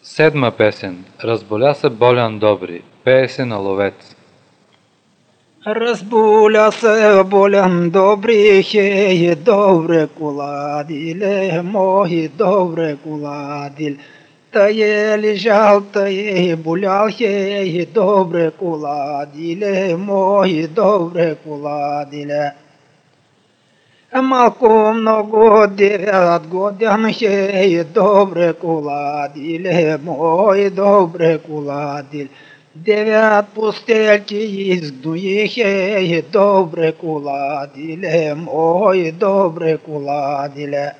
Седма песен. Разболя се Болян Добри. Пее се на ловец. Разбуля се Болян Добри, хеє добре куладіле, мої добре куладіль. Та є лежав, та є булял, хеє добре куладіле, мої добре куладіле. Малко много 9 годин, хеє добре куладіле, мої добре куладіль. 9 пустельки їздує, хеє добре куладіле, мої добре куладіле.